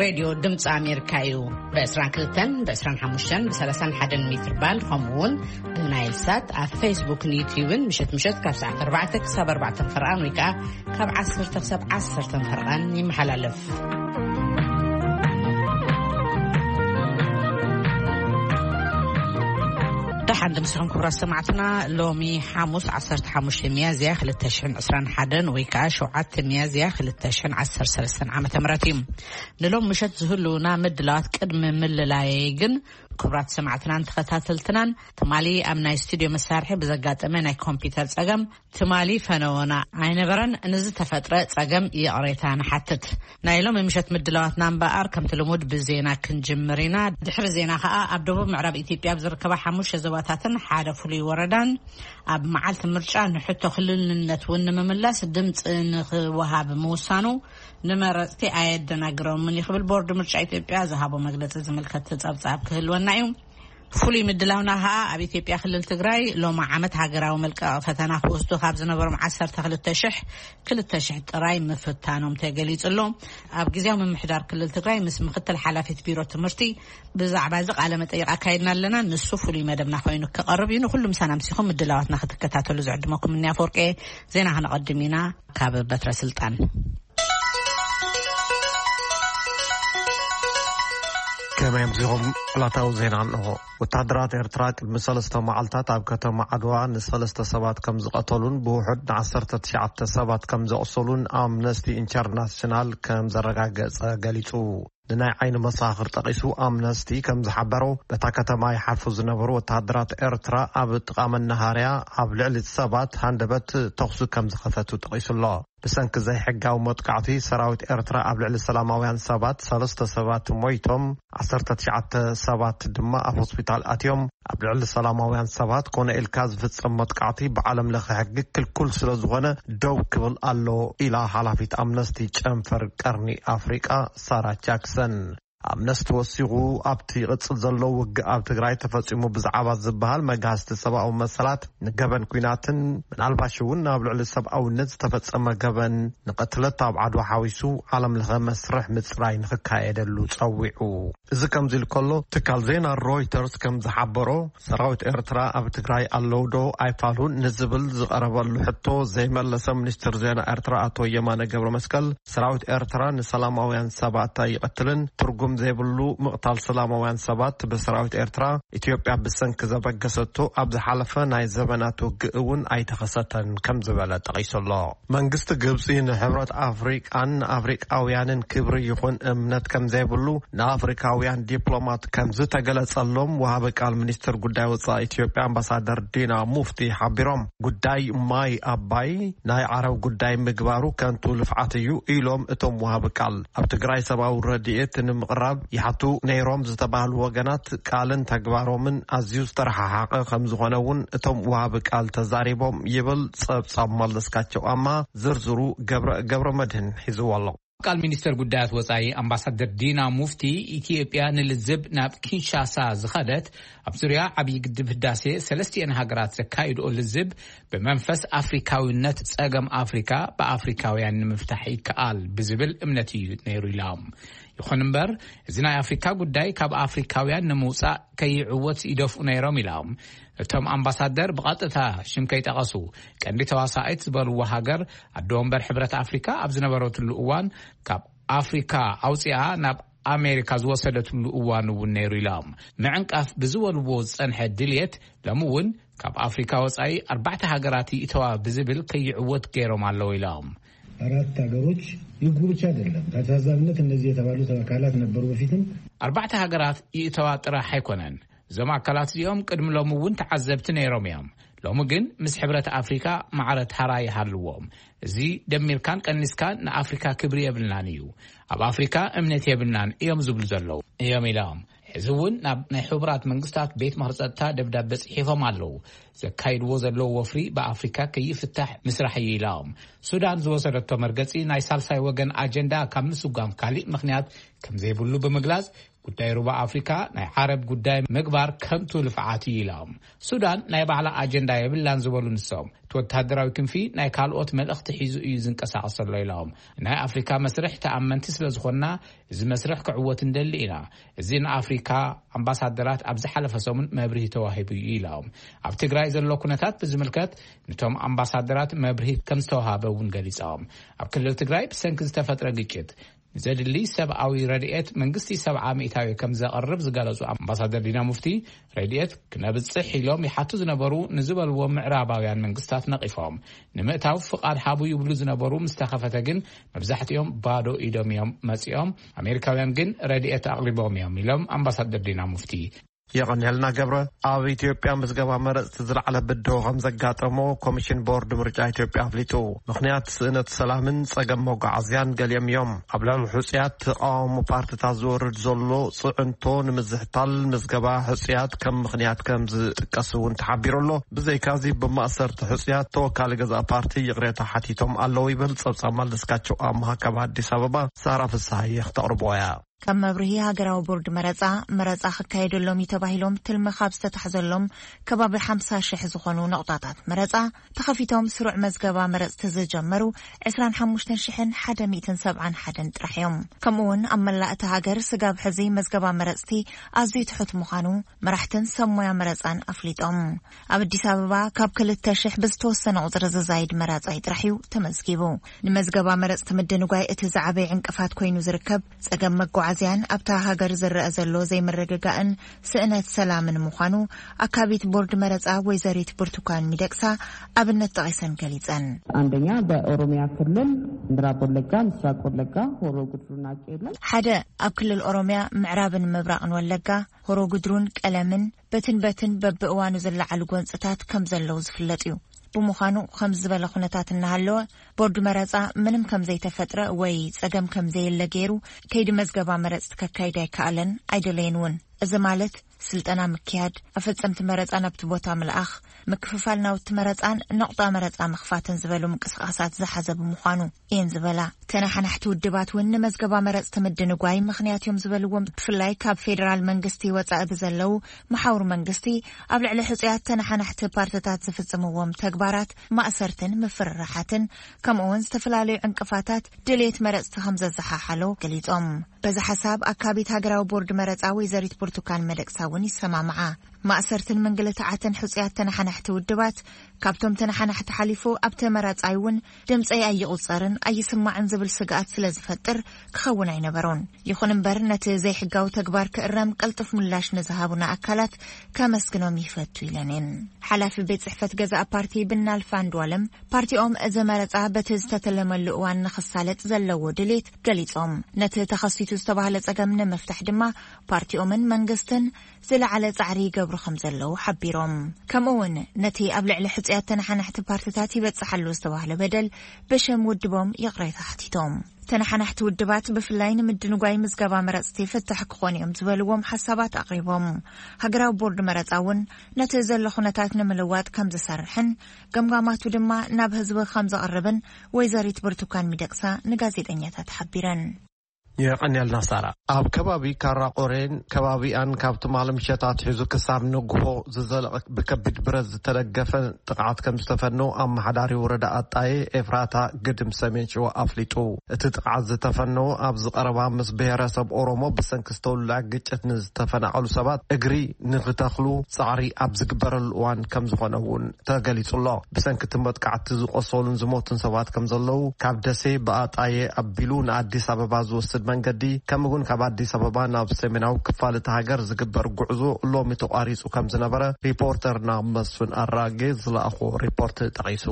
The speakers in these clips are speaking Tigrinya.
ሬድዮ ድምፂ ኣሜሪካ እዩ። ብ22፣ ብ25፣ ብ31 ሜትር ባንድ፣ ከምኡ እውን ብናይል ሳት ኣብ ፌስቡክን ዩትዩብን ምሸት ምሸት ካብ ሰዓት ኣርባዕተ ክሳብ ኣርባዕተ ፈርቓን ወይ ከዓ ካብ ዓሰርተ ክሳብ ዓሰርተ ፈርቓን ይመሓላለፍ። ደሓን ድምስኹም ክቡራት ሰማዕትና። ሎሚ ሓሙስ ዓሰርተ ሓሙሽተ ሚያዝያ ክልተ ሽሕን ዕስራን ሓደን ወይ ከዓ ሸውዓተ ሚያዝያ ክልተ ሽሕን ዓሰርተ ሰለስተን ዓመተ ምህረት እዩ። ንሎም ምሸት ዝህልውና ምድላዋት ቅድሚ ምልላየይ ግን፣ ክቡራት ሰማዕትናን ተኸታተልትናን፣ ትማሊ ኣብ ናይ ስቱዲዮ መሳርሒ ብዘጋጠመ ናይ ኮምፒውተር ጸገም፣ ትማሊ ፈነወና ኣይነበረን። ንዝተፈጥረ ጸገም ይቕሬታ ንሓትት። ናይ ሎም ምሸት ምድላዋትና እምበኣር ከምቲ ልሙድ ብዜና ክንጅምር ኢና። ድሕሪ ዜና ከኣ ኣብ ደቡብ ምዕራብ ኢትዮጵያ ኣብ ዝርከባ ሓሙሽተ ዞባታትን ሓደ ፍሉይ ወረዳን ኣብ መዓልቲ ምርጫ ንሕቶ ክልልነት እውን ንምምላስ ድምፂ ንክወሃብ ምውሳኑ ንመረፅቲ ኣየደናግሮምን እዩ ክብል ቦርድ ምርጫ ኢትዮጵያ ዝሃቦ መግለፂ ዝምልከት ጸብጻብ ክህልወና እዩ። ፍሉይ ምድላውና ከኣ ኣብ ኢትዮጵያ ክልል ትግራይ ሎም ዓመት ሃገራዊ መልቀቂ ፈተና ክወስዱ ካብ ዝነበሮም ዓሰርተ ክልተ ሽሕ፣ ክልተ ሽሕ ጥራይ ምፍታኖም ተገሊጹ ኣሎ። ኣብ ግዜያዊ ምምሕዳር ክልል ትግራይ ምስ ምክትል ሓላፊት ቢሮ ትምህርቲ ብዛዕባ እዚ ቃለ መጠይቕ ኣካይድና ኣለና። ንሱ ፍሉይ መደብና ኮይኑ ክቐርብ እዩ። ንኹሉ ምሳና ምሲኹም ምድላዋትና ክትከታተሉ ዝዕድመኩም እኒ ኣፈወርቂ። ዜና ክነቐድም ኢና። ካብ በትረ ስልጣን። ከመይ ኣምሲኹም? ዕለታዊ ዜና እንሆ። ወታደራት ኤርትራ ቅድሚ ሰለስተ መዓልታት ኣብ ከተማ ዓድዋ ንሰለስተ ሰባት ከም ዝቐተሉን ብውሑድ ንዓሰርተ ትሽዓተ ሰባት ከም ዘቑሰሉን ኣምነስቲ ኢንተርናሽናል ከም ዘረጋገጸ ገሊጹ። ንናይ ዓይኒ መሳኽር ጠቒሱ ኣምነስቲ ከም ዝሓበሮ፣ በታ ከተማ ይሓልፉ ዝነበሩ ወታደራት ኤርትራ ኣብ ጥቓ መናሃርያ ኣብ ልዕሊ ሰባት ሃንደበት ተኹሲ ከም ዝኸፈቱ ጠቒሱ ኣሎ። ብሰንኪ ዘይሕጋዊ መጥቃዕቲ ሰራዊት ኤርትራ ኣብ ልዕሊ ሰላማውያን ሰባት ሰለስተ ሰባት ሞይቶም፣ ዓሰርተ ትሽዓተ ሰባት ድማ ኣብ ሆስፒታል ኣትዮም። ኣብ ልዕሊ ሰላማውያን ሰባት ኮነ ኢልካ ዝፍጸም መጥቃዕቲ ብዓለም ለኸ ሕጊ ክልኩል ስለ ዝኾነ ደው ክብል ኣሎ ኢላ ሓላፊት ኣምነስቲ ጨንፈር ቀርኒ ኣፍሪቃ ሳራ ጃክሰን። ኣምነስቲ ወሲኹ፣ ኣብቲ ይቕጽል ዘሎ ውግእ ኣብ ትግራይ ተፈጺሙ ብዛዕባ ዝበሃል መግሃስቲ ሰብኣዊ መሰላት፣ ንገበን ኲናትን ምናልባሽ እውን ኣብ ልዕሊ ሰብኣውነት ዝተፈጸመ ገበን ንቕትለት ኣብ ዓድዋ ሓዊሱ ዓለም ለኸ መስርሕ ምጽራይ ንኽካየደሉ ጸዊዑ። እዚ ከምዚ ኢሉ ከሎ፣ ትካል ዜና ሮይተርስ ከም ዝሓበሮ፣ ሰራዊት ኤርትራ ኣብ ትግራይ ኣለዉ ዶ ኣይፋሉን ንዝብል ዝቐረበሉ ሕቶ ዘይመለሰ ሚኒስትር ዜና ኤርትራ ኣቶ የማነ ገብረ መስቀል፣ ሰራዊት ኤርትራ ንሰላማውያን ሰባት ኣይቐትልን፣ ትርጉም ዘይብሉ ምቕታል ሰላማውያን ሰባት ብሰራዊት ኤርትራ፣ ኢትዮጵያ ብሰንኪ ዘበገሰቶ ኣብ ዝሓለፈ ናይ ዘበናት ውግእ እውን ኣይተኸሰተን ከም ዝበለ ጠቒሱ ኣሎ። መንግስቲ ግብጺ ንሕብረት ኣፍሪቃን ንኣፍሪቃውያንን ክብሪ ይኹን እምነት ከም ዘይብሉ ንኣፍሪካውያን ዲፕሎማት ከም ዝተገለጸሎም ወሃቢ ቃል ሚኒስትር ጉዳይ ወጻኢ ኢትዮጵያ ኣምባሳደር ዲና ሙፍቲ ሓቢሮም። ጉዳይ ማይ ኣባይ ናይ ዓረብ ጉዳይ ምግባሩ ከንቱ ልፍዓት እዩ ኢሎም እቶም ወሃቢ ቃል። ኣብ ትግራይ ሰብኣዊ ረድኤት ንምቕራብ ይሓቱ ነይሮም ዝተባህሉ ወገናት ቃልን ተግባሮምን ኣዝዩ ዝተረሓሓቐ ከም ዝኾነ እውን እቶም ወሃቢ ቃል ተዛሪቦም ይብል ጸብጻብ መለስካቸው ኣማ። ዝርዝሩ ገብረ፣ ገብረ መድህን ሒዝዎ ኣሎ። ቃል ሚኒስተር ጉዳያት ወጻኢ ኣምባሳደር ዲና ሙፍቲ፣ ኢትዮጵያ ንልዝብ ናብ ኪንሻሳ ዝኸደት ኣብ ዙርያ ዓብዪ ግድብ ህዳሴ ሰለስቲኤን ሃገራት ዘካይድኦ ልዝብ ብመንፈስ ኣፍሪካዊነት ጸገም ኣፍሪካ ብኣፍሪካውያን ንምፍታሕ ይከኣል ብዝብል እምነት እዩ ነይሩ ኢሎም። ይኹን እምበር፣ እዚ ናይ ኣፍሪካ ጉዳይ ካብ ኣፍሪካውያን ንምውጻእ ከይዕወት ይደፍኡ ነይሮም ኢሎም። እቶም ኣምባሳደር ብቐጥታ ሽም ከይጠቐሱ፣ ቀንዲ ተዋሳኢት ዝበልዎ ሃገር ኣደ ወንበር ሕብረት ኣፍሪካ ኣብ ዝነበረትሉ እዋን ካብ ኣፍሪካ ኣውፂኣ ናብ ኣሜሪካ ዝወሰደትሉ እዋን እውን ነይሩ ኢሎም። ምዕንቃፍ ብዝበልዎ ዝፀንሐ ድልየት ሎሚ እውን ካብ ኣፍሪካ ወፃኢ ኣርባዕተ ሃገራት ይእተዋ ብዝብል ከይዕወት ገይሮም ኣለዉ ኢሎም። አራት ሀገሮች ይግቡ ብቻ አይደለም። ታዛቢነት እነዚህ የተባሉት አካላት ነበሩ በፊትም። ኣርባዕተ ሃገራት ይእተዋ ጥራሕ ኣይኮነን። እዞም ኣካላት እዚኦም ቅድሚ ሎሚ እውን ተዓዘብቲ ነይሮም እዮም። ሎሚ ግን ምስ ሕብረት ኣፍሪካ ማዕረ ታራ ይሃልዎም። እዚ ደሚርካን ቀኒስካን ንኣፍሪካ ክብሪ የብልናን እዩ። ኣብ ኣፍሪካ እምነት የብልናን እዮም ዝብሉ ዘለዉ እዮም ኢሎም። ሕዚ እውን ናብ ናይ ሕቡራት መንግስታት ቤት ምኽሪ ጸጥታ ደብዳበ ጽሒፎም ኣለዉ። ዘካይድዎ ዘለዉ ወፍሪ ብኣፍሪካ ከይፍታሕ ምስራሕ እዩ ኢሎም። ሱዳን ዝወሰደቶ መርገፂ ናይ ሳልሳይ ወገን ኣጀንዳ ካብ ምስጓም ካሊእ ምኽንያት ከም ዘይብሉ ብምግላጽ፣ ጉዳይ ሩባ ኣፍሪካ ናይ ዓረብ ጉዳይ ምግባር ከንቱ ልፍዓት እዩ ኢሎም። ሱዳን ናይ ባዕላ ኣጀንዳ የብላን ዝበሉ ንሶም፣ እቲ ወተሃደራዊ ክንፊ ናይ ካልኦት መልእኽቲ ሒዙ እዩ ዝንቀሳቐስ ዘሎ ኢሎም። ናይ ኣፍሪካ መስርሕ ተኣመንቲ ስለ ዝኾንና፣ እዚ መስርሕ ክዕወት እንደሊ ኢና። እዚ ንኣፍሪካ ኣምባሳደራት ኣብ ዝሓለፈ ሰሙን መብርሂ ተዋሂቡ እዩ ኢሎም። ኣብ ትግራይ ዘሎ ኩነታት ብዝምልከት፣ ንቶም ኣምባሳደራት መብርሂ ከም ዝተዋሃበ እውን ገሊጾም። ኣብ ክልል ትግራይ ብሰንኪ ዝተፈጥረ ግጭት ንዘድሊ ሰብኣዊ ረድኤት መንግስቲ ሰብዓ ሚእታዊ ከም ዘቕርብ ዝገለጹ ኣምባሳደር ዲና ሙፍቲ፣ ረድኤት ክነብጽሕ ኢሎም ይሓቱ ዝነበሩ ንዝበልዎም ምዕራባውያን መንግስታት ነቒፎም። ንምእታው ፍቓድ ሃቡ ይብሉ ዝነበሩ ምስ ተኸፈተ ግን፣ መብዛሕትኦም ባዶ ኢዶም እዮም መጺኦም። ኣሜሪካውያን ግን ረድኤት ኣቕሪቦም እዮም ኢሎም ኣምባሳደር ዲና ሙፍቲ። የቐንየልና ገብረ። ኣብ ኢትዮጵያ ምዝገባ መረፅቲ ዝለዓለ ብድሆ ከም ዘጋጠሞ ኮሚሽን ቦርድ ምርጫ ኢትዮጵያ ኣፍሊጡ። ምኽንያት ስእነት ሰላምን ጸገም መጓዓዝያን ገሊኦም እዮም። ኣብ ልዕሊ ሕጹያት ተቓውሞ ፓርቲታት ዝወርድ ዘሎ ጽዕንቶ ንምዝሕታል ምዝገባ ሕጹያት ከም ምኽንያት ከም ዝጥቀስ እውን ተሓቢሩ ኣሎ። ብዘይካዚ ብማእሰርቲ ሕጹያት ተወካሊ ገዛእ ፓርቲ ይቕሬታ ሓቲቶም ኣለዉ ይብል ጸብጻብ መለስካቸው ኣምሃ ካብ ኣዲስ ኣበባ ሳራ ፍስሃየ ክተቕርቦ እያ። ከም መብርሂ፣ ሃገራዊ ቦርድ መረጻ፣ መረጻ ክካየደሎም እዩ ተባሂሎም ትልሚ ካብ ዝተታሕዘሎም ከባቢ ሓምሳ ሽሕ ዝኾኑ ነቑጣታት መረጻ ተኸፊቶም ስሩዕ መዝገባ መረጽቲ ዝጀመሩ ዕስራን ሓሙሽተን ሽሕን ሓደ ሚእትን ሰብዓን ሓደን ጥራሕ እዮም። ከምኡ እውን ኣብ መላእ እታ ሃገር ስጋብ ሕዚ መዝገባ መረጽቲ ኣዝዩ ትሑት ምዃኑ መራሕትን ሰብ ሞያ መረጻን ኣፍሊጦም። ኣብ ኣዲስ ኣበባ ካብ ክልተ ሽሕ ብዝተወሰነ ቁጽሪ ዝዛይድ መራጻይ ጥራሕ እዩ ተመዝጊቡ። ንመዝገባ መረጽቲ ምድንጓይ እቲ ዝዓበየ ዕንቅፋት ኮይኑ ዝርከብ ጸገም መጓዓዝያን ኣብታ ሃገር ዝረአ ዘሎ ዘይምርግጋእን ስእነት ሰላምን ምዃኑ ኣካቢት ቦርድ መረጻ ወይዘሪት ብርቱካን ሚደቅሳ ኣብነት ጠቒሰን ገሊጸን። አንደኛ በኦሮሚያ ክልል ምዕራብ ወለጋ፣ ምስራቅ ወለጋ፣ ሆሮ ጉድሩና ቄለም። ሓደ፣ ኣብ ክልል ኦሮሚያ ምዕራብን ምብራቕን ወለጋ፣ ሆሮ ጉድሩን ቀለምን በትን በትን በብእዋኑ ዝለዓሉ ጎንጽታት ከም ዘለዉ ዝፍለጥ እዩ። ብምዃኑ፣ ከምዚ ዝበለ ኩነታት እናሃለወ፣ ቦርድ መረጻ ምንም ከም ዘይተፈጥረ ወይ ጸገም ከም ዘየለ ገይሩ፣ ከይዲ መዝገባ መረጽቲ ከካይድ ኣይከኣለን፣ ኣይደለየን እውን። እዚ ማለት፣ ስልጠና ምክያድ፣ ኣፈጸምቲ መረጻ ናብቲ ቦታ ምልኣኽ፣ ምክፍፋል ናውቲ መረጻን ነቑጣ መረጻ ምኽፋትን ዝበሉ ምንቅስቓሳት ዝሓዘ ብምዃኑ እየን ዝበላ። ተነሓናሕቲ ውድባት እውን ንመዝገባ መረጽቲ ምድንጓይ ምኽንያት እዮም ዝበልዎም፣ ብፍላይ ካብ ፌደራል መንግስቲ ወጻኢ ብዘለዉ መሓውር መንግስቲ ኣብ ልዕሊ ሕጹያት ተነሓናሕቲ ፓርትታት ዝፍጽምዎም ተግባራት፣ ማእሰርትን ምፍርራሓትን፣ ከምኡ እውን ዝተፈላለዩ ዕንቅፋታት ድሌት መረጽቲ ከም ዘዘሓሓሎ ገሊጾም። በዚ ሓሳብ ኣካቢት ሃገራዊ ቦርድ መረጻ ወይዘሪት ብርቱካን መደቅሳ እውን ይሰማምዓ። ማእሰርትን ምንግልታዓትን ሕጹያት ተነሓናሕቲ ውድባት፣ ካብቶም ተነሓናሕቲ ሓሊፉ ኣብቲ መራጻይ እውን ድምጸይ ኣይቑጸርን ኣይስማዕን ዝብል ስግኣት ስለ ዝፈጥር ክኸውን ኣይነበሮን። ይኹን እምበር፣ ነቲ ዘይሕጋዊ ተግባር ክእረም ቅልጡፍ ምላሽ ንዝሃቡና ኣካላት ከመስግኖም ይፈቱ ኢለን እየን። ሓላፊ ቤት ጽሕፈት ገዛእ ፓርቲ ብናልፍ ኣንዱኣለም፣ ፓርቲኦም እዚ መረጻ በቲ ዝተተለመሉ እዋን ንኽሳለጥ ዘለዎ ድሌት ገሊጾም፣ ነቲ ተኸሲቱ ዝተባህለ ጸገም ንምፍታሕ ድማ ፓርቲኦምን መንግስትን ዝለዓለ ጻዕሪ ይገብሩ ከም ዘለዉ ሓቢሮም። ከምኡ እውን ነቲ ኣብ ልዕሊ ሕጹያት ተነሓናሕቲ ፓርትታት ይበጽሕ ኣሎ ዝተባህለ በደል ብሽም ውድቦም ይቕሬታ ሓቲቶም። ተነሓናሕቲ ውድባት ብፍላይ ንምድንጓይ ምዝገባ መረጽቲ ፍታሕ ክኾኑ እዮም ዝበልዎም ሓሳባት ኣቕሪቦም። ሃገራዊ ቦርድ መረጻ እውን ነቲ ዘሎ ኩነታት ንምልዋጥ ከም ዝሰርሕን ገምጋማቱ ድማ ናብ ህዝቢ ከም ዘቕርብን ወይዘሪት ብርቱካን ሚደቅሳ ንጋዜጠኛታት ሓቢረን። የቐንየልና ሳራ። ኣብ ከባቢ ካራ ቆሬን ከባቢኣን ካብ ትማሊ ምሸት ኣትሒዙ ክሳብ ንግሆ ዝዘለቐ ብከቢድ ብረት ዝተደገፈ ጥቕዓት ከም ዝተፈነው ኣመሓዳሪ ወረዳ ኣጣየ ኤፍራታ ግድም ሰሜን ሸዋ ኣፍሊጡ። እቲ ጥቕዓት ዝተፈነው ኣብዚ ቀረባ ምስ ብሄረሰብ ኦሮሞ ብሰንኪ ዝተወልዐ ግጭት ንዝተፈናቐሉ ሰባት እግሪ ንክተኽሉ ጻዕሪ ኣብ ዝግበረሉ እዋን ከም ዝኾነ እውን ተገሊጹ ኣሎ። ብሰንኪ እቲ መጥቃዕቲ ዝቆሰሉን ዝሞቱን ሰባት ከም ዘለዉ ካብ ደሴ ብኣጣየ ኣቢሉ ንኣዲስ ኣበባ ዝወስድ መንገዲ፣ ከምኡ እውን ካብ ኣዲስ ኣበባ ናብ ሰሜናዊ ክፋል እታ ሃገር ዝግበር ጉዕዞ ሎሚ ተቋሪጹ ከም ዝነበረ ሪፖርተርና መስፍን ኣራጌ ዝለኣኾ ሪፖርት ጠቒሱ።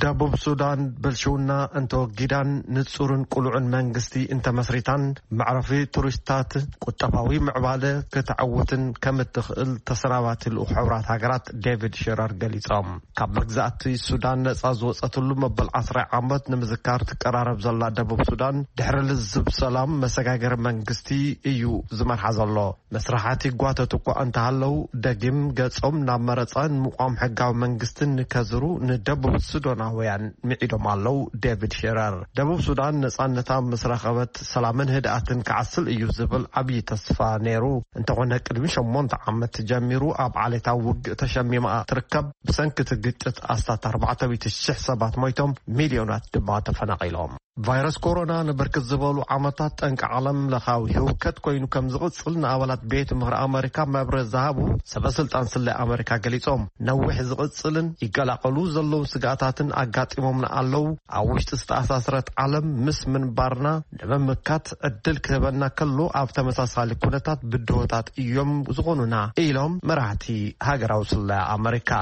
ደቡብ ሱዳን ብልሽውና እንተወጊዳን ንጹርን ቅሉዕን መንግስቲ እንተመስሪታን፣ መዕረፊ ቱሪስታት፣ ቁጠባዊ ምዕባለ ክትዕውትን ከም እትኽእል ተሰናባቲ ልኡኽ ሕቡራት ሃገራት ዴቪድ ሽረር ገሊጾም። ካብ መግዛእቲ ሱዳን ነጻ ዝወጸትሉ መበል ዓስራይ ዓመት ንምዝካር ትቀራረብ ዘላ ደቡብ ሱዳን፣ ድሕሪ ልዝብ ሰላም መሰጋገሪ መንግስቲ እዩ ዝመርሓ ዘሎ። መስራሓት ይጓተቱ እኳ እንተሃለዉ፣ ደጊም ገጾም ናብ መረጻን ምቋም ሕጋዊ መንግስትን ከዝሩ ንደቡብ ሱዳናውያን ምዒዶም ኣለዉ። ዴቪድ ሼረር፣ ደቡብ ሱዳን ነጻነታ ምስ ረኸበት፣ ሰላምን ህድኣትን ክዓስል እዩ ዝብል ዓብዪ ተስፋ ነይሩ። እንተኾነ፣ ቅድሚ ሸሞንተ ዓመት ጀሚሩ ኣብ ዓሌታዊ ውግእ ተሸሚማ ትርከብ። ብሰንኪ እቲ ግጭት፣ ኣስታት ኣርባዕተ ሚእቲ ሽሕ ሰባት ሞይቶም፣ ሚልዮናት ድማ ተፈናቒሎም። ቫይረስ ኮሮና ንብርክት ዝበሉ ዓመታት ጠንቂ ዓለም ለኻዊ ህውከት ኮይኑ ከም ዝቕጽል ንኣባላት ቤት ምኽሪ ኣመሪካ መብርህ ዝሃቡ ሰበ ስልጣን ስለያ ኣመሪካ ገሊጾም። ነዊሕ ዝቕጽልን ይቀላቐሉ ዘለዉ ስግኣታትን ኣጋጢሞምና ኣለዉ። ኣብ ውሽጢ ዝተኣሳስረት ዓለም ምስ ምንባርና ንምምካት ዕድል ክህበና ከሎ፣ ኣብ ተመሳሳሊ ኩነታት ብድሆታት እዮም ዝኾኑና ኢሎም መራሕቲ ሃገራዊ ስለያ ኣመሪካ።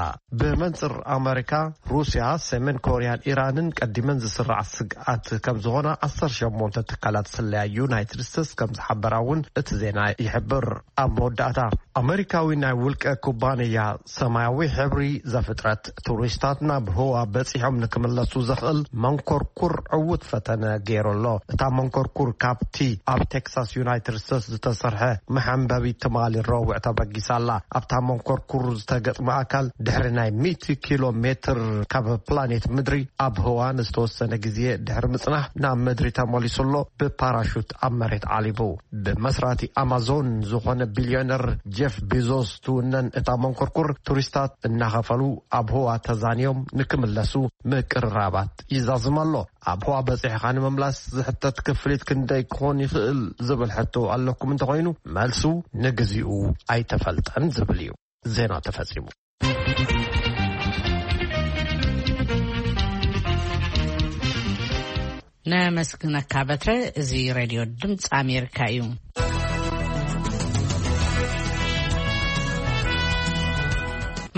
ብመንጽር ኣመሪካ፣ ሩስያ፣ ሰሜን ኮርያን ኢራንን ቀዲመን ዝስራዕ ስግኣት ከም ዝኾና ዓሰርተ ሸሞንተ ትካላት ስለያ ዩናይትድ ስቴትስ ከም ዝሓበራ እውን እቲ ዜና ይሕብር። ኣብ መወዳእታ፣ ኣመሪካዊ ናይ ውልቀ ኩባንያ ሰማያዊ ሕብሪ ዘፍጥረት፣ ቱሪስታት ናብ ህዋ በጺሖም ንክምለሱ ዘኽእል መንኮርኩር ዕዉት ፈተነ ገይሩ ኣሎ። እታ መንኮርኩር ካብቲ ኣብ ቴክሳስ ዩናይትድ ስቴትስ ዝተሰርሐ መሐንበቢ ትማሊ ረቡዕ ተበጊሳ ኣላ። ኣብታ መንኮርኩር ዝተገጥመ ኣካል ድሕሪ ናይ ሚእቲ ኪሎ ሜትር ካብ ፕላኔት ምድሪ ኣብ ህዋ ንዝተወሰነ ግዜ ድሕሪ ምጽናሕ ናብ ምድሪ ተመሊሱ ኣሎ። ብፓራሹት ኣብ መሬት ዓሊቡ። ብመስራቲ ኣማዞን ዝኾነ ቢልዮነር ጄፍ ቤዞስ ትውነን እታ መንኮርኩር፣ ቱሪስታት እናኸፈሉ ኣብ ህዋ ተዛንዮም ንክምለሱ ምቅርራባት ይዛዝም ኣሎ። ኣብ ህዋ በጺሕኻ ንምምላስ ዝሕተት ክፍሊት ክንደይ ክኾን ይኽእል ዝብል ሕቶ ኣለኩም እንተኾይኑ፣ መልሱ ንግዚኡ ኣይተፈልጠን ዝብል እዩ። ዜና ተፈጺሙ። ነመስግነካ በትረ። እዚ ሬድዮ ድምፂ ኣሜሪካ እዩ።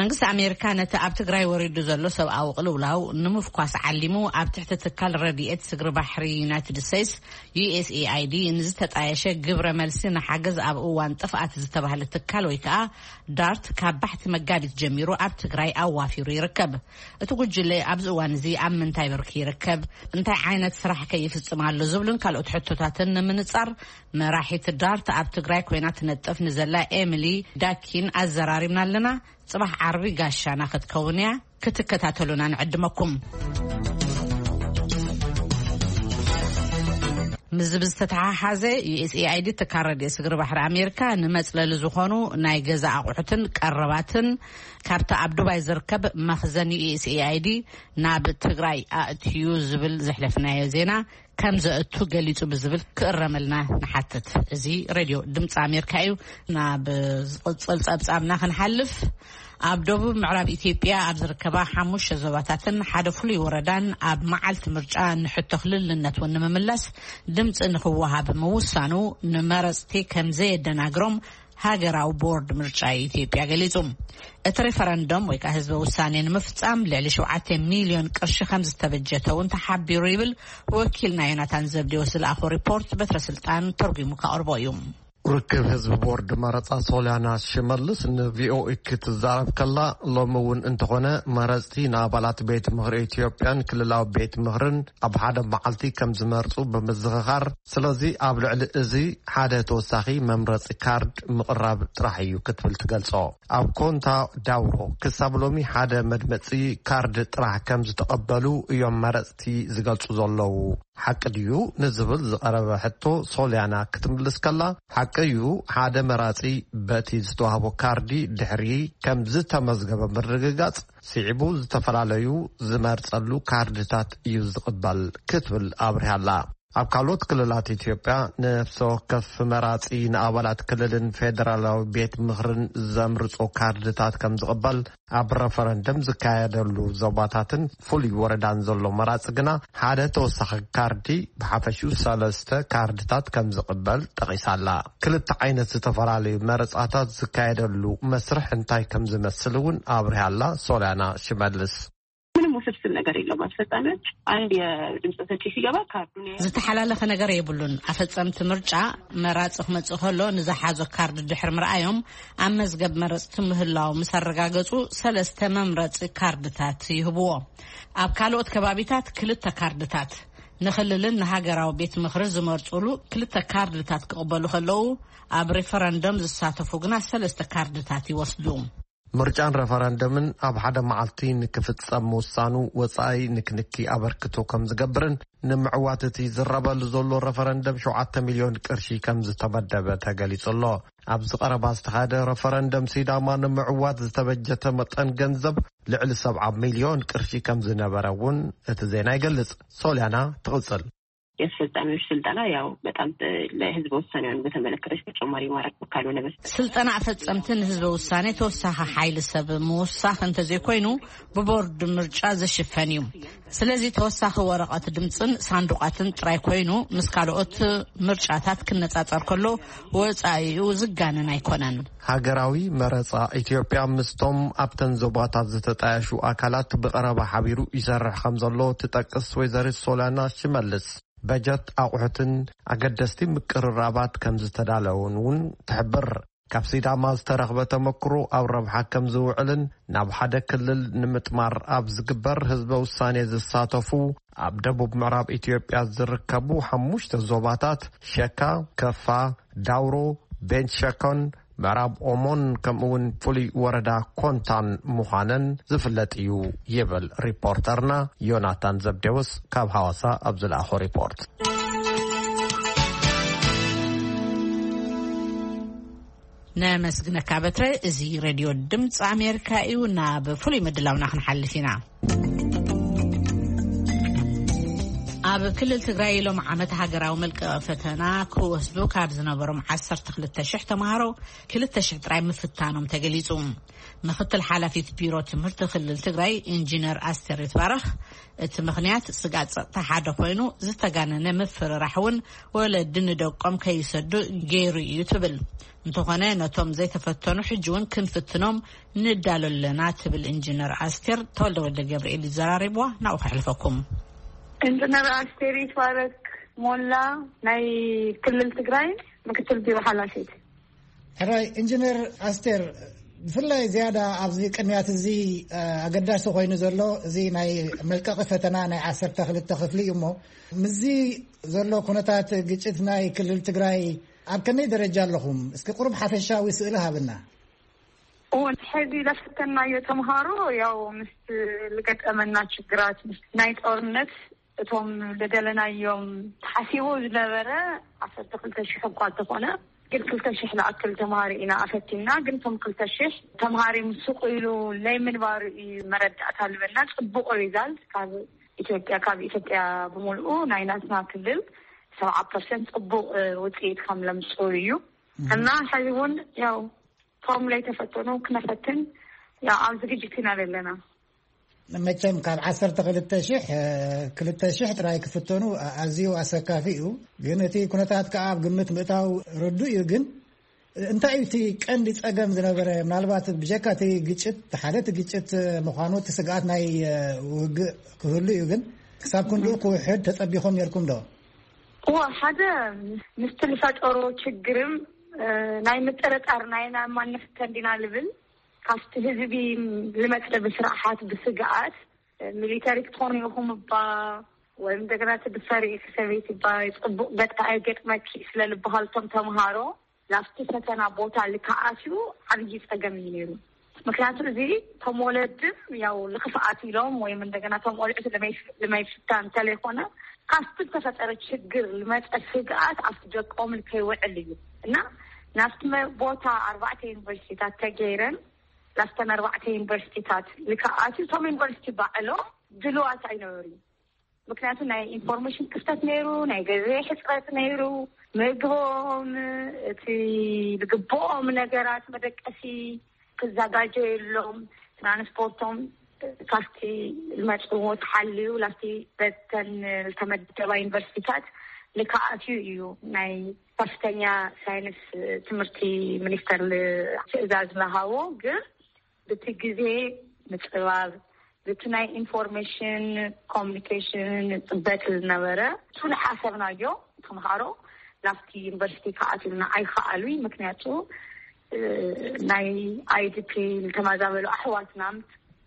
መንግስቲ ኣሜሪካ ነቲ ኣብ ትግራይ ወሪዱ ዘሎ ሰብኣዊ ቅልውላው ንምፍኳስ ዓሊሙ፣ ኣብ ትሕቲ ትካል ረድኤት ስግሪ ባሕሪ ዩናይትድ ስቴትስ፣ ዩ ኤስ ኤ ኣይ ዲ፣ ንዝተጣየሸ ግብረ መልሲ ንሓገዝ ኣብ እዋን ጥፍኣት ዝተባህለ ትካል ወይ ከዓ ዳርት፣ ካብ ባሕቲ መጋቢት ጀሚሩ ኣብ ትግራይ ኣዋፊሩ ይርከብ። እቲ ጉጅለ ኣብዚ እዋን እዚ ኣብ ምንታይ ብርኪ ይርከብ? እንታይ ዓይነት ስራሕ ከ ይፍጽም ኣሎ? ዝብሉን ካልኦት ሕቶታትን ንምንጻር፣ መራሒት ዳርት ኣብ ትግራይ ኮይና ትነጥፍ ንዘላ ኤሚሊ ዳኪን ኣዘራሪብና ኣለና። ጽባሕ ዓርቢ ጋሻና ክትከውን እያ። ክትከታተሉና ንዕድመኩም። ምስዚ ብዝተተሓሓዘ፣ ዩ ኤስ ኤ ኣይ ዲ፣ ትካል ረድኤት ስግሪ ባሕሪ ኣሜሪካ፣ ንመጽለሊ ዝኾኑ ናይ ገዛ ኣቑሑትን ቀረባትን ካብቲ ኣብ ዱባይ ዝርከብ መኽዘን ዩ ኤስ ኤ ኣይ ዲ ናብ ትግራይ ኣእትዩ ዝብል ዘሕለፍናዮ ዜና ከም ዘእቱ ገሊጹ ብዝብል ክእረመልና ንሓትት። እዚ ሬድዮ ድምፂ ኣሜሪካ እዩ። ናብ ዝቕጽል ጸብጻብና ክንሓልፍ፣ ኣብ ደቡብ ምዕራብ ኢትዮጵያ ኣብ ዝርከባ ሓሙሽተ ዞባታትን ሓደ ፍሉይ ወረዳን ኣብ መዓልቲ ምርጫ ንሕቶ ክልልነት እውን ንምምላስ ድምፂ ንክወሃብ ምውሳኑ ንመረፅቲ ከም ዘየደናግሮም ሃገራዊ ቦርድ ምርጫ ኢትዮጵያ ገሊጹ። እቲ ሬፈረንደም ወይ ከዓ ህዝበ ውሳኔ ንምፍጻም ልዕሊ ሸውዓተ ሚልዮን ቅርሺ ከም ዝተበጀተ እውን ተሓቢሩ ይብል ወኪልና ዮናታን ዘብዴዎስ ዝለኣኾ ሪፖርት። በትረ ስልጣን ተርጒሙ ከቕርቦ እዩ። ርክብ ህዝቢ ቦርድ መረጻ ሶልያና ሽመልስ ንቪኦኤ ክትዛረብ ከላ፣ ሎሚ እውን እንተኾነ መረጽቲ ንኣባላት ቤት ምኽሪ ኢትዮጵያን ክልላዊ ቤት ምኽርን ኣብ ሓደ መዓልቲ ከም ዝመርጹ ብምዝኽኻር፣ ስለዚ ኣብ ልዕሊ እዚ ሓደ ተወሳኺ መምረጺ ካርድ ምቕራብ ጥራሕ እዩ ክትብል ትገልጾ። ኣብ ኮንታ ዳውሮ ክሳብ ሎሚ ሓደ መድመጺ ካርድ ጥራሕ ከም ዝተቐበሉ እዮም መረጽቲ ዝገልጹ ዘለዉ። ሓቂ ድዩ ንዝብል ዝቐረበ ሕቶ፣ ሶልያና ክትምልስ ከላ፣ ሓቂ እዩ፣ ሓደ መራጺ በቲ ዝተዋህቦ ካርዲ ድሕሪ ከም ዝተመዝገበ ምርግጋጽ ስዒቡ ዝተፈላለዩ ዝመርጸሉ ካርድታት እዩ ዝቕበል ክትብል ኣብሪሃ ኣላ። ኣብ ካልኦት ክልላት ኢትዮጵያ፣ ነፍሲ ወከፍ መራጺ ንኣባላት ክልልን ፌደራላዊ ቤት ምኽርን ዘምርጾ ካርድታት ከም ዝቕበል፣ ኣብ ረፈረንደም ዝካየደሉ ዞባታትን ፍሉይ ወረዳን ዘሎ መራጺ ግና ሓደ ተወሳኺ ካርዲ፣ ብሓፈሽኡ ሰለስተ ካርድታት ከም ዝቕበል ጠቒሳ ኣላ። ክልተ ዓይነት ዝተፈላለዩ መረጻታት ዝካየደሉ መስርሕ እንታይ ከም ዝመስል እውን ኣብሪሃ ኣላ ሶልያና ሽመልስ። ምንም ውስብስብ ነገር የለውም። አስፈጻሚዎች አንድ የድምፅ ሰጪ ሲገባ ካርዱን ያያል። ዝተሓላለኸ ነገር የብሉን። ኣፈጸምቲ ምርጫ መራጺ ክመጽእ ከሎ ንዝሓዞ ካርድ ድሕሪ ምርኣዮም፣ ኣብ መዝገብ መረጽቲ ምህላው ምስ ኣረጋገጹ፣ ሰለስተ መምረጺ ካርድታት ይህብዎ። ኣብ ካልኦት ከባቢታት ክልተ ካርድታት፣ ንክልልን ንሃገራዊ ቤት ምኽሪ ዝመርጹሉ ክልተ ካርድታት ክቕበሉ ከለዉ፣ ኣብ ሬፈረንደም ዝሳተፉ ግና ሰለስተ ካርድታት ይወስዱ። ምርጫን ረፈረንደምን ኣብ ሓደ መዓልቲ ንክፍጸም ምውሳኑ ወጻኢ ንክንኪ ኣበርክቶ ከም ዝገብርን ንምዕዋት እቲ ዝረበሉ ዘሎ ረፈረንደም ሸውዓተ ሚልዮን ቅርሺ ከም ዝተመደበ ተገሊጹ ኣሎ። ኣብዚ ቀረባ ዝተኻየደ ረፈረንደም ሲዳማ ንምዕዋት ዝተበጀተ መጠን ገንዘብ ልዕሊ ሰብዓ ሚልዮን ቅርሺ ከም ዝነበረ እውን እቲ ዜና ይገልጽ። ሶልያና ትቕጽል። የአስፈጻሚዎች ስልጠና ያው በጣም ለህዝበ ውሳኔውን በተመለከተ ተጨማሪ ማድረግ ካልሆነ በስተቀር ስልጠና ኣፈጸምቲ ንህዝበ ውሳኔ ተወሳኺ ሓይሊ ሰብ ምውሳኽ እንተዘይኮይኑ ብቦርድ ምርጫ ዝሽፈን እዩ። ስለዚ ተወሳኺ ወረቐት ድምፅን ሳንዱቓትን ጥራይ ኮይኑ ምስ ካልኦት ምርጫታት ክነጻጸር ከሎ ወጻኢኡ ዝጋነን ኣይኮነን። ሃገራዊ መረጻ ኢትዮጵያ ምስቶም ኣብተን ዞባታት ዝተጣየሹ ኣካላት ብቐረባ ሓቢሩ ይሰርሕ ከም ዘሎ ትጠቅስ ወይዘሪት ሶልያና ሽመልስ፣ በጀት ኣቑሑትን ኣገደስቲ ምቅርራባት ከም ዝተዳለውን እውን ትሕብር። ካብ ሲዳማ ዝተረኽበ ተመክሮ ኣብ ረብሓ ከም ዝውዕልን ናብ ሓደ ክልል ንምጥማር ኣብ ዝግበር ህዝበ ውሳኔ ዝሳተፉ ኣብ ደቡብ ምዕራብ ኢትዮጵያ ዝርከቡ ሓሙሽተ ዞባታት ሸካ፣ ከፋ፣ ዳውሮ፣ ቤንች ሸኮን ምዕራብ ኦሞን ከምኡውን ፍሉይ ወረዳ ኮንታን ምዃነን ዝፍለጥ እዩ ይብል ሪፖርተርና ዮናታን ዘብዴዎስ ካብ ሃዋሳ ኣብ ዝለኣኾ ሪፖርት። ነመስግነካ በትረ። እዚ ሬድዮ ድምፂ ኣሜሪካ እዩ። ናብ ፍሉይ ምድላውና ክንሓልፍ ኢና። ኣብ ክልል ትግራይ ሎም ዓመት ሃገራዊ መልቀቂ ፈተና ክወስዱ ካብ ዝነበሮም ዓሰርተ ክልተ ሽሕ ተምሃሮ ክልተ ሽሕ ጥራይ ምፍታኖም ተገሊጹ። ምክትል ሓላፊት ቢሮ ትምህርቲ ክልል ትግራይ ኢንጂነር ኣስቴር ይትባረኽ፣ እቲ ምኽንያት ስጋት ጸጥታ ሓደ ኮይኑ ዝተጋነነ ምፍርራሕ እውን ወለዲ ንደቆም ከይሰዱ ገይሩ እዩ ትብል። እንተኾነ ነቶም ዘይተፈተኑ ሕጂ እውን ክንፍትኖም ንዳሎ ኣለና ትብል ኢንጂነር ኣስቴር። ተወልደ ወልደ ገብርኤል ይዘራረብዋ፣ ናብኡ ከሕልፈኩም። ኢንጂነር ኣስቴር ይትባረክ ሞላ ናይ ክልል ትግራይ ምክትል ቢሮ ሓላፊት። ሕራይ ኢንጂነር ኣስቴር፣ ብፍላይ ዝያዳ ኣብዚ ቅንያት እዚ ኣገዳሲ ኮይኑ ዘሎ እዚ ናይ መልቀቂ ፈተና ናይ ዓሰርተ ክልተ ክፍሊ እዩ። እሞ ምስዚ ዘሎ ኩነታት ግጭት ናይ ክልል ትግራይ ኣብ ከመይ ደረጃ ኣለኹም? እስኪ ቁሩብ ሓፈሻዊ ስእሊ ሃብና። እወ፣ ሕዚ ለፈተናዮ ተምሃሮ ያው ምስ ልገጠመና ችግራት ናይ ጦርነት እቶም ልደለናዮም ተሓሲቡ ዝነበረ ዓሰርተ ክልተ ሽሕ እኳ እንተኾነ ግን ክልተ ሽሕ ልኣክል ተምሃሪ ኢና ኣፈቲና። ግን እቶም ክልተ ሽሕ ተምሃሪ ምስ ሱቕ ኢሉ ናይ ምንባሩ እዩ መረዳእታ ልበና ጽቡቕ ሪዛልት ካብ ኢትዮጵያ፣ ካብ ኢትዮጵያ ብምልኡ ናይ ናትና ክልል ሰብዓ ፐርሰንት ጽቡቕ ውፅኢት ከም ለምፅኡ እዩ። እና ሕዚ እውን ያው ቶም ላይ ተፈተኑ ክነፈትን ያው ኣብ ዝግጅት ኢና ዘለና። መቸም ካብ ዓሰርተ ክልተ ሽሕ ክልተ ሽሕ ጥራይ ክፍተኑ ኣዝዩ ኣሰካፊ እዩ። ግን እቲ ኩነታት ከዓ ኣብ ግምት ምእታው ርዱእ እዩ። ግን እንታይ እዩ እቲ ቀንዲ ጸገም ዝነበረ? ምናልባት ብጀካ እቲ ግጭት ሓደ እቲ ግጭት ምዃኑ እቲ ስግኣት ናይ ውግእ ክህሉ እዩ። ግን ክሳብ ክንድኡ ክውሕድ ተጸቢኹም ነርኩም ዶ? እወ፣ ሓደ ምስቲ ዝፈጠሮ ችግርም ናይ ምጥርጣር ናይ ናማን ንፍተን ዲና ልብል ካብቲ ህዝቢ ልመፀ ብስርዓት ብስግኣት ሚሊተሪ ክትኾኑ ኢኹም እባ ወይም እንደገና እቲ ብሰሪ ኢኺ ሰበይቲ እባ ጽቡቕ ገጣ ኣይገጥመኪ ስለ ልበሃልቶም ተምሃሮ ናብቲ ፈተና ቦታ ልከኣትዩ ዓብዪ ጸገም እዩ ነይሩ። ምክንያቱ እዚ ቶም ወለድም ያው ልክፍኣት ኢሎም ወይም እንደገና ቶም ቆልዑት ልመይፍታ እንተለይኮነ ካብቲ ዝተፈጠረ ችግር ልመፀ ስግኣት ኣብቲ ደቆም ልከይውዕል እዩ እና ናብቲ ቦታ ኣርባዕተ ዩኒቨርሲቲታት ተገይረን ላስተን ኣርባዕተ ዩኒቨርሲቲታት ልከኣትዩ ቶም ዩኒቨርሲቲ ባዕሎም ድልዋት ኣይነበሩ። ምክንያቱ ናይ ኢንፎርሜሽን ክፍተት ነይሩ፣ ናይ ገዜ ሕፅረት ነይሩ፣ ምግቦም እቲ ዝግብኦም ነገራት መደቀሲ ክዘጋጀየሎም ትራንስፖርቶም ካብቲ ዝመፅዎ ተሓልዩ ላፍቲ በተን ዝተመደባ ዩኒቨርሲቲታት ልከኣትዩ እዩ ናይ ከፍተኛ ሳይንስ ትምህርቲ ሚኒስተር ትእዛዝ ዝሃቦ። ግን ብቲ ግዜ ምፅባብ ብቲ ናይ ኢንፎርሜሽን ኮሚኒኬሽን ፅበት ዝነበረ እሱ ዝሓሰብናዮ ተምሃሮ ናብቲ ዩኒቨርሲቲ ክኣትዩልና ኣይከኣሉ። ምክንያቱ ናይ ኣይዲፒ ዝተመዛበሉ ኣሕዋትና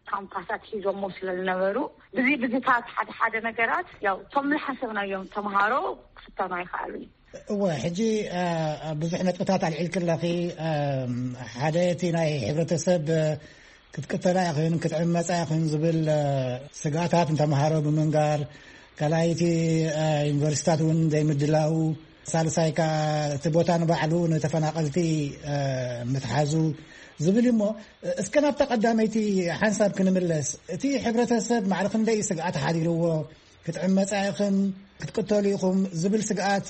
ካምፓሳት ሒዞሞ ስለ ዝነበሩ ብዚ ብዚታት ሓደ ሓደ ነገራት ያው እቶም ዝሓሰብናዮም ተምሃሮ ክፍተኑ ኣይከኣሉን። እወ፣ ሕጂ ብዙሕ ነጥብታት ኣልዒልክ ኣለኺ። ሓደ እቲ ናይ ሕብረተሰብ ክትቅተላ ይኹን ክትዕመፃ ይኹን ዝብል ስጋታት ንተምሃሮ ብምንጋር፣ ካልኣይቲ ዩኒቨርሲታት እውን ዘይምድላው፣ ሳልሳይ ከዓ እቲ ቦታ ንባዕሉ ንተፈናቐልቲ ምትሓዙ ዝብል እዩ። እሞ እስከ ናብታ ቀዳመይቲ ሓንሳብ ክንምለስ። እቲ ሕብረተሰብ ማዕረ ክንደይ ስግኣት ሓዲርዎ? ክትዕመፃ ኢኽን ክትቅተሉ ኢኹም ዝብል ስግኣት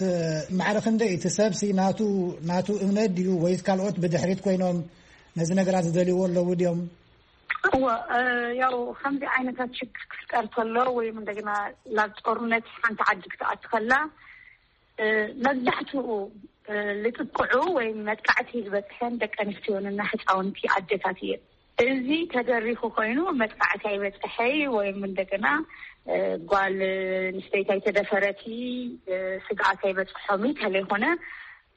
ማዕረ ክንደይ? እቲ ሰብሲ ናቱ ናቱ እምነት ድዩ ወይስ ካልኦት ብድሕሪት ኮይኖም ነዚ ነገራት ዝደልይዎ ኣለዉ ድዮም? እወ፣ ያው ከምዚ ዓይነታት ችግር ክፍጠር ከሎ ወይም እንደገና ናብ ጦርነት ሓንቲ ዓዲ ክትኣትኸላ መብዛሕትኡ ልጥቅዑ ወይም መጥቃዕቲ ዝበፅሐን ደቂ ኣንስትዮንና ህፃውንቲ ኣደታት እየን። እዚ ተደሪኹ ኮይኑ መጥቃዕቲ ኣይበፅሐይ ወይም እንደገና ጓል ንስተይቲ ኣይተደፈረቲ ስግኣት ኣይበፅሖም ተለይኮነ፣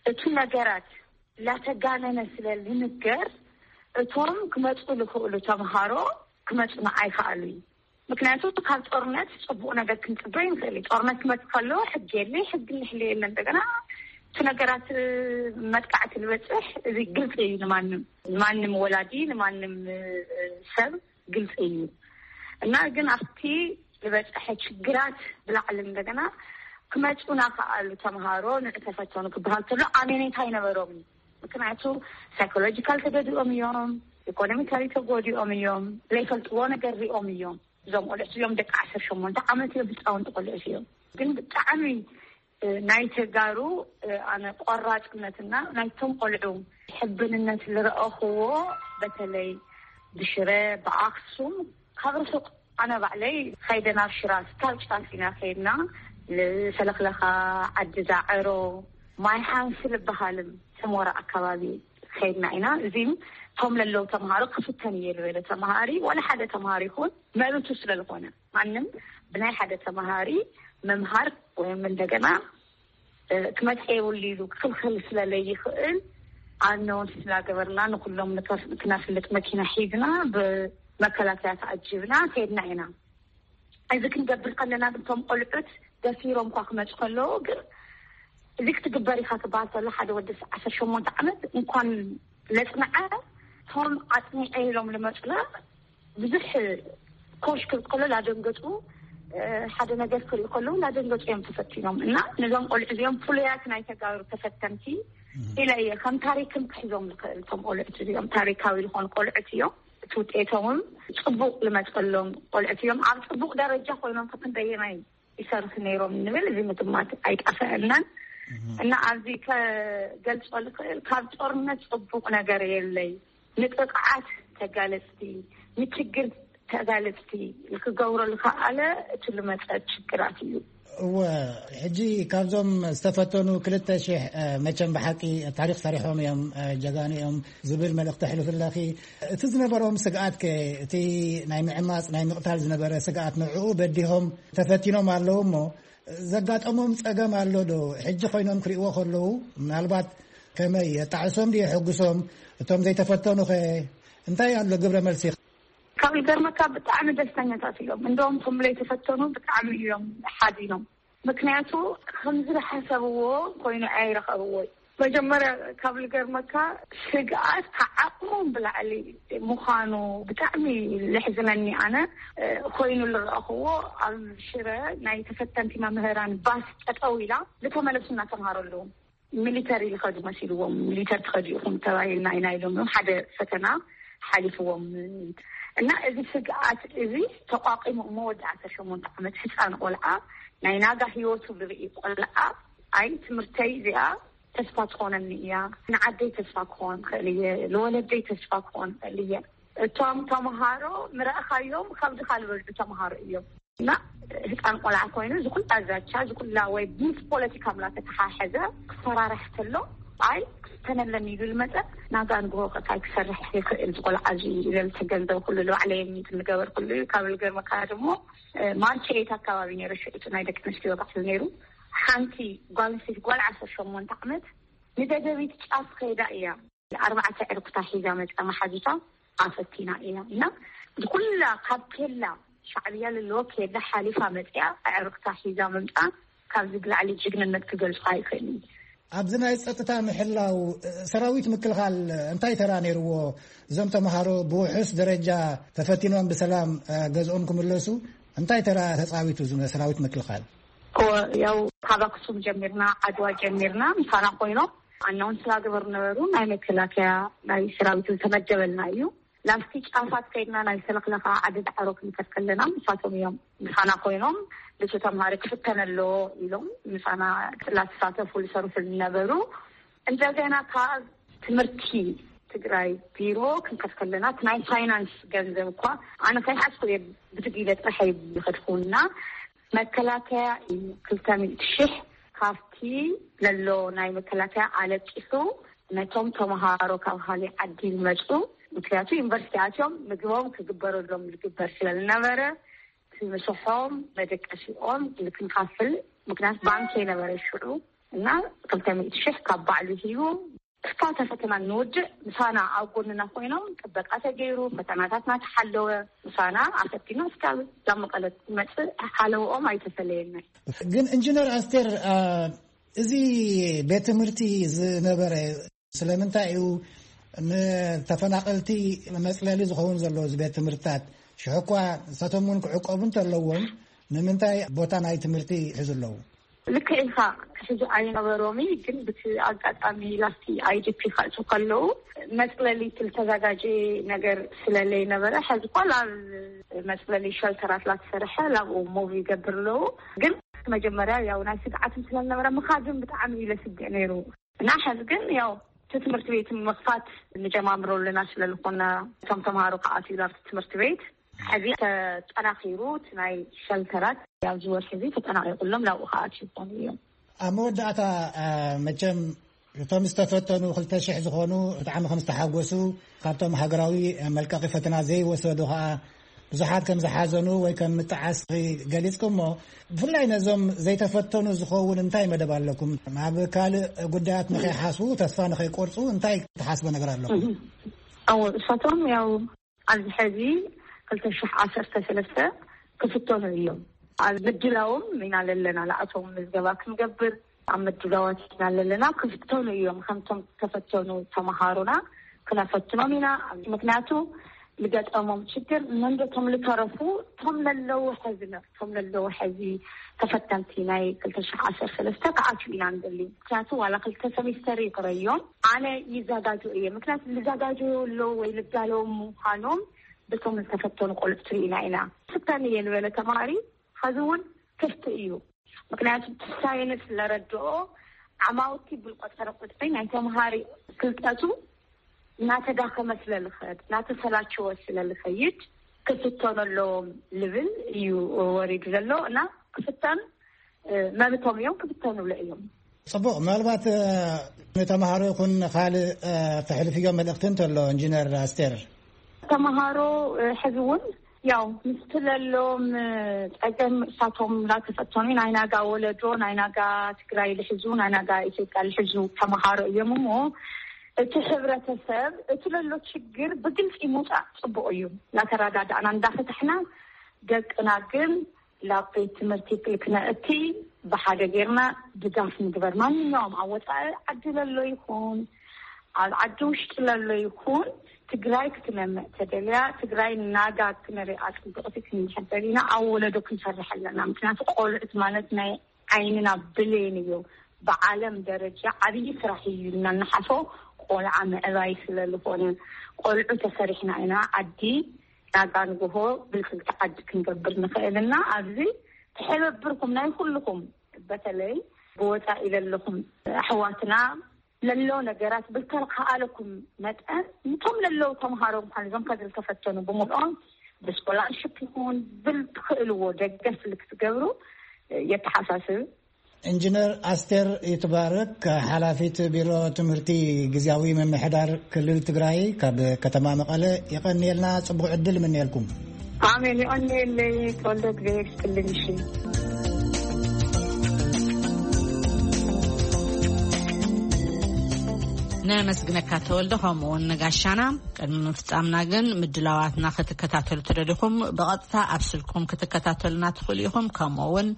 እቲ ነገራት ላተጋነነ ስለ ዝንገር እቶም ክመፁ ዝኽእሉ ተምሃሮ ክመፁና ኣይከኣሉ እዩ። ምክንያቱ ካብ ጦርነት ፅቡቕ ነገር ክንፅበ ይንክእል እዩ። ጦርነት ክመፅ ከሎ ሕጊ የለ፣ ሕጊ ንሕሊ የለ። እንደገና እቲ ነገራት መጥቃዕቲ ዝበፅሕ እዚ ግልፂ እዩ ንማንም፣ ንማንም ወላዲ፣ ንማንም ሰብ ግልፂ እዩ። እና ግን ኣብቲ ዝበፅሐ ችግራት ብላዕሊ እንደገና ክመፁና ከኣሉ ተምሃሮ ንዕተፈተኑ ክበሃል ከሎ ኣሜኔታ ኣይነበሮም። ምክንያቱ ሳይኮሎጂካል ተገዲኦም እዮም፣ ኢኮኖሚካሊ ተጎዲኦም እዮም፣ ዘይፈልጥዎ ነገር ሪኦም እዮም። እዞም ቆልዑት እዮም ደቂ ዓሰርተ ሸሞንተ ዓመት እዮም፣ ህፃውንቲ ቆልዑት እዮም። ግን ብጣዕሚ ናይ ተጋሩ ኣነ ቆራፅነትና ናይቶም ቆልዑ ሕብንነት ዝረኣኽዎ በተለይ ብሽረ ብኣክሱም ካብ ርሑቕ ኣነ ባዕለይ ኸይደ ናብ ሽራስ ካብ ጫፍ ኢና ኸይድና፣ ሰለኽለኻ፣ ዓዲ ዳዕሮ፣ ማይ ሓንሲ ዝበሃልን ሰሞራ ኣካባቢ ኸይድና ኢና። እዚም እቶም ለለው ተምሃሮ ክፍተን እየ ዝበለ ተምሃሪ ዋላ ሓደ ተምሃሪ ይኹን መብቱ ስለ ዝኾነ ማንም ብናይ ሓደ ተምሃሪ ምምሃር ወይም እንደገና ክመፅእ የብሉ ኢሉ ክኽልክል ስለለይኽእል ኣነውን ስላገበርና ንኩሎም ክነፍልጥ መኪና ሒዝና ብመከላከያ ተኣጅብና ከይድና ኢና። እዚ ክንገብር ከለና ግን እቶም ቆልዑት ደፊሮም እኳ ክመፁ ከለዉ ግን እዚ ክትግበር ኢኻ ክበሃል ከሎ ሓደ ወዲ ዓሰርተ ሸሞንተ ዓመት እንኳን ለፅንዐ እቶም ኣፅኒዐ ኢሎም ልመፁና ብዙሕ ኮሽ ክብል ከሎ ላደንገፁ ሓደ ነገር ክርኢ ከለዉ ላደንገፁ እዮም ተፈቲኖም እና ነዞም ቆልዑ እዚኦም ፍሉያት ናይ ተጋሩ ተፈተንቲ ኢለ እየ ከም ታሪክም ክሕዞም ዝኽእል። እቶም ቆልዑት እዚኦም ታሪካዊ ዝኾኑ ቆልዑት እዮም። እቲ ውጤቶምም ፅቡቕ ልመፀሎም ቆልዑት እዮም። ኣብ ፅቡቕ ደረጃ ኮይኖም ከክንደየናይ ይሰርሑ ነይሮም ንብል እዚ ምግማት ኣይጠፈአናን። እና ኣብዚ ከገልፆ ልኽእል ካብ ጦርነት ፅቡቕ ነገር የለይ። ንጥቕዓት ተጋለፅቲ፣ ንችግር ተጋለፅቲ ክገብሮ ልኸኣለ እቲ ልመፀ ችግራት እዩ። እወ፣ ሕጂ ካብዞም ዝተፈተኑ ክልተ ሽሕ መቸም ብሓቂ ታሪክ ሰሪሖም እዮም፣ ጀጋኑ እዮም ዝብል መልእክቲ ኣሕልፍ ኣለኺ። እቲ ዝነበሮም ስግኣት ከ እቲ ናይ ምዕማፅ ናይ ምቕታል ዝነበረ ስግኣት ንዕኡ በዲሆም ተፈቲኖም ኣለዉ እሞ ዘጋጠሞም ፀገም ኣሎ ዶ? ሕጂ ኮይኖም ክርእዎ ከለዉ ምናልባት ከመይ የጣዕሶም ድዩ የሐጉሶም? እቶም ዘይተፈተኑ ኸ እንታይ ኣሎ ግብረ መልሲ? ካብ ዝገርመካ ብጣዕሚ ደስተኛታት እዮም። እንደውም እቶም ዘይተፈተኑ ብጣዕሚ እዮም ሓዚኖም። ምክንያቱ ከምዚ ዝሓሰብዎ ኮይኑ ኣይረኸብዎ። መጀመርያ ካብ ዝገርመካ ስግኣት ከዓቕሞም ብላዕሊ ምዃኑ ብጣዕሚ ለሕዝነኒ። ኣነ ኮይኑ ዝረኣኽዎ ኣብ ሽረ ናይ ተፈተንቲ መምህራን ባስ ጠጠው ኢላ ዝተመለሱና ተምሃሮ ኣለዉ። ሚሊተሪ ዝኸዱ መሲልዎም፣ ሚሊተር ትኸዱ ኢኹም ተባሂልና ኢና ኢሎም እዮም። ሓደ ፈተና ሓሊፍዎም እና እዚ ስግኣት እዚ ተቋቂሙ እሞ ወዲ ዓሰርተ ሸሞንተ ዓመት ህፃን ቆልዓ ናይ ናጋ ህይወቱ ዝርኢ ቆልዓ ኣይ ትምህርተይ እዚኣ ተስፋ ትኾነኒ እያ፣ ንዓደይ ተስፋ ክኾን ክእል እየ፣ ንወለደይ ተስፋ ክኾን ክእል እየ። እቶም ተምሃሮ ምረእኻዮም ካብዚ ካልበልዑ ተምሃሮ እዮም። እና ህፃን ቆልዓ ኮይኑ ዝኩላ ዛቻ ዝኩላ ወይ ምስ ፖለቲካ ምላ ተተሓሐዘ ክፈራርሕ ከሎ ኣይ ክስተነለኒ ኢሉ ልመፀ ናጋ ንግሆ ከታይ ክሰርሕ ይኽእል ዝቆልዓ እዚ ኢለ ዝተገንዘብ ኩሉ ልባዕለየ ሚት ንገበር ኩሉ እዩ። ካብ ልገርመካ ድሞ ማርች ኤት ኣካባቢ ነይሩ ሽዑ ናይ ደቂ ኣንስትዮ ባዕሉ ነይሩ። ሓንቲ ጓል ኣንስተይቲ ጓል ዓሰርተ ሸሞንተ ዓመት ንደደቢት ጫፍ ከይዳ እያ ኣርባዕተ ዕርኩታ ሒዛ መፃ መሓዙታ ኣፈቲና እያ እና ዝኩላ ካብ ኬላ ሻዕብያ ለለዎ ከየዳ ሓሊፋ መፅያ ኣዕርክታ ሒዛ ምምፃ ካብዚ ብላዕሊ ጅግንነት ክገልፁ ኣይክእልን። ኣብዚ ናይ ጸጥታ ምሕላው ሰራዊት ምክልኻል እንታይ ተራ ነይርዎ? እዞም ተምሃሮ ብውሑስ ደረጃ ተፈቲኖም ብሰላም ገዝኦም ክምለሱ እንታይ ተራ ተጻዊቱ እዚ ሰራዊት ምክልኻል? ያው ካብ ኣክሱም ጀሚርና፣ ዓድዋ ጀሚርና ምሳና ኮይኖም ኣናውንስ ዝገብሩ ነበሩ። ናይ መከላከያ ናይ ሰራዊት ዝተመደበልና እዩ። ላስቲ ጫፋት ከይድና ናይ ሰለኽለኻ ዓዲ ዳዕሮ ክንከድ ከለና ምሳቶም እዮም ምሳና ኮይኖም፣ ልሱ ተምሃሪ ክፍተን ኣለዎ ኢሎም ምሳና ላተሳተፉ ዝሰርሑ ዝነበሩ። እንደገና ካብ ትምህርቲ ትግራይ ቢሮ ክንከድ ከለና እቲ ናይ ፋይናንስ ገንዘብ እኳ ኣነ ከይሓዝኩ እየ ብትግ ኢለ ጥራሕ እየ ዝኸድኩና። መከላከያ እዩ ክልተ ሚእቲ ሽሕ ካብቲ ለሎ ናይ መከላከያ ኣለቂሱ ነቶም ተምሃሮ ካብ ካሊእ ዓዲ ዝመፁ፣ ምክንያቱ ዩኒቨርሲቲ ኣትዮም ምግቦም ክግበረሎም ዝግበር ስለ ዝነበረ እቲ ምሰሖም መደቀሲኦም ክንካፍል፣ ምክንያቱ ባንክ የነበረ ሽዑ እና ክልተ ሚእቲ ሽሕ ካብ ባዕሉ ሂቡ እስካብ ፈተና ንውድእ ምሳና ኣብ ጎንና ኮይኖም ጥበቃ ተገይሩ ፈተናታት እናተሓለወ ምሳና ኣፈቲና እስካብ ላብ መቐለ ትመፅእ ሓለውኦም ኣይተፈለየናይ። ግን ኢንጂነር ኣስቴር፣ አ፣ እዚ ቤት ትምህርቲ ዝነበረ ስለምንታይ እዩ ንተፈናቐልቲ መፅለሊ ዝኸውን ዘሎ? እዚ ቤት ትምህርትታት ሽሕ እኳ ንሳቶም እውን ክዕቀቡ እንተለዎም ንምንታይ ቦታ ናይ ትምህርቲ ይሕዙ ኣለዉ? ልክዕ ኢኻ፣ ክሕዙ ኣይነበሮም። ግን ብቲ ኣጋጣሚ ላስቲ ኣይዲፒ ክኣትዉ ከለዉ መፅለሊ ዝተዘጋጀ ነገር ስለለይነበረ፣ ሕዚ እኳ ላብ መፅለሊ ሸልተራት ላተሰርሐ ላብኡ ሙቭ ይገብር ኣለዉ። ግን መጀመርያ ያው ናይ ስግዓትን ስለዝነበረ ምኻድን ብጣዕሚ እዩ ለስግዕ ነይሩ። እና ሕዚ ግን ያው እቲ ትምህርቲ ቤት ምኽፋት ንጀማምሮ ኣለና ስለ ዝኾና እቶም ተምሃሮ ክኣትዩ ናብቲ ትምህርቲ ቤት ሕዚ ተጠናኺሩ እቲ ናይ ሸልተራት ኣብዚ ወርሒ እዚ ተጠናቒቑሎም ናብኡ ክኣትዩ ይኾኑ እዮም። ኣብ መወዳእታ፣ አ፣ መቸም እቶም ዝተፈተኑ ክልተ ሽሕ ዝኾኑ ብጣዕሚ ከም ዝተሓጎሱ፣ ካብቶም ሃገራዊ መልቀቒ ፈተና ዘይወሰዱ ኸኣ ብዙሓት ከም ዝሓዘኑ ወይ ከም ምጥዓስ ገሊጽኩሞ። ብፍላይ ነዞም ዘይተፈተኑ ዝኸውን እንታይ መደብ ኣለኩም? ኣብ ካልእ ጉዳያት ንኸይሓስቡ፣ ተስፋ ንኸይቆርጹ እንታይ ትሓስቦ ነገር ኣለኩም? እህ። እዎ፣ እሳቶም ያው ኣብዚ ሕዚ ክልተ ሽሕ ዓሰርተ ሰለስተ ክፍተኑ እዮም። ኣብ ምድላዎም ኢና ለለና፣ ንኣቶም ምዝገባ ክንገብር ኣብ ምድላዋት ኢና ለለና። ክፍተኑ እዮም፣ ከምቶም ዝተፈተኑ ተምሃሮና ክነፈትኖም ኢና። ምክንያቱ ዝገጠሞም ችግር መንዶ እቶም ዝተረፉ፣ እቶም ለለዉ ሕዚ ነ-፣ እቶም ለለዉ ሕዚ ተፈተንቲ ናይ ክልተ ሽሕ ዓሰርተ ሰለስተ ክኣትዩ ኢና ንደሊ። ምክንያቱ ዋላ ክልተ ሰሚስተር ይቅረዮም፣ ኣነ ይዘጋጆ እየ። ምክንያቱ ዝዘጋጆ ኣለዉ ወይ ልዳለዉ ምዃኖም በቶም ዝተፈተኑ ቆልዑ ትርኢና ኢና። ፍተን እየ ዝበለ ተማሃሪ ሐዚ እውን ክፍቲ እዩ። ምክንያቱ እቲ ሳይንስ ስለረድኦ ዓማውቲ ብልቆ ጸረ ቁጥሪ ናይ ተምሃሪ ፍልጠቱ እናተዳኸመ ስለልኸድ፣ እናተሰላቸወ ስለልኸይድ ክፍተኑ ኣለዎም ልብል እዩ ወሪዱ ዘሎ እና ክፍተን፣ እ፣ መብቶም እዮም፣ ክፍተኑ ለ እዮም። ጽቡቕ። ምናልባት፣ እ፣ ንተምሃሮ ይኹን ካልእ፣ እ፣ ተሕልፍዮ መልእኽቲ እንተሎ ኢንጂነር ኣስቴር? ተምሃሮ፣ እ፣ ሕዚ እውን ያው ምስቲ ለሎም፣ እ፣ ጸገም እሳቶም እንዳተፈተኑ ናይ ናጋ ወለዶ፣ ናይ ናጋ ትግራይ ልሕዙ፣ ናይ ናጋ ኢትዮጵያ ልሕዙ ተምሃሮ እዮም እሞ እቲ ሕብረተሰብ እቲ ለሎ ችግር ብግልጺ ምውጻእ ጽቡቕ እዩ። እናተረዳዳእና እንዳፈታሕና ደቅና ግን ላብ ቤት ትምህርቲ ክልክነእቲ ብሓደ ጌርና ድጋፍ ንግበር። ማንኛውም ኣብ ወፃኢ ዓዲ ለሎ ይኹን ኣብ ዓዲ ውሽጢ ለሎ ይኹን ትግራይ ክትነምዕ ተደልያ ትግራይ ናጋ ክነሪኣ ጽቡቕቲ ክንድሕር ደሊና ኣብ ወለዶ ክንሰርሕ ኣለና። ምክንያቱ ቆልዑት ማለት ናይ ዓይንና ብሌን እዩ። ብዓለም ደረጃ ዓብዪ ስራሕ እዩ እናነሓሶ ቆልዓ ምዕባይ ስለ ዝኾነ ቆልዑ ተሰሪሕና ኢና ዓዲ ናጋ ንግሆ ብልጽግቲ ዓዲ ክንገብር ንኽእል እና ኣብዚ ትሕብብርኩም ናይ ኩልኹም በተለይ ብወፃኢ ለለኹም ኣሕዋትና ለሎ ነገራት ብልተልካኣለኩም መጠን ንቶም ለለው ተምሃሮ ምኳን እዞም ከዚ ዝተፈተኑ ብምልኦም ብስኮላርሽፕ ይኹን ብልትኽእልዎ ደገፍ ልክትገብሩ የተሓሳስብ። ኢንጂነር ኣስቴር ይትባረክ፣ ሓላፊት ቢሮ ትምህርቲ ግዝያዊ ምምሕዳር ክልል ትግራይ ካብ ከተማ መቐለ፣ የቐንየልና፣ ጽቡቕ ዕድል እምነየልኩም። ኣሜን፣ የቐንየለይ ተወልደ፣ እግዚኣብሔር ይስጥልኝ። እሺ። ነመስግነካ ተወልደ፣ ከምኡ እውን ንጋሻና። ቅድሚ ምፍጻምና ግን ምድላዋትና ክትከታተሉ ተደሊኹም ብቐጥታ ኣብ ስልኩም ክትከታተሉና ትኽእሉ ኢኹም። ከምኡ እውን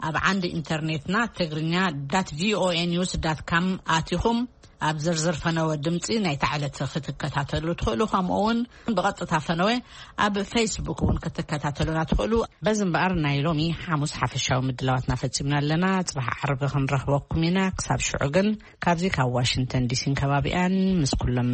ኣብ ዓንዲ ኢንተርኔትና ትግርኛ ዳት ቪኦኤ ኒውስ ዳት ካም ኣቲኹም ኣብ ዝርዝር ፈነወ ድምፂ ናይታ ዕለት ክትከታተሉ ትኽእሉ። ከምኡ እውን ብቐጥታ ፈነወ ኣብ ፌስቡክ እውን ክትከታተሉና ትኽእሉ። በዚ እምበኣር ናይ ሎሚ ሓሙስ ሓፈሻዊ ምድላዋትና ፈጺምና ኣለና። ጽባሕ ዓርቢ ክንረኽበኩም ኢና። ክሳብ ሽዑ ግን ካብዚ ካብ ዋሽንግተን ዲሲን ከባቢኣን ምስ ኩሎም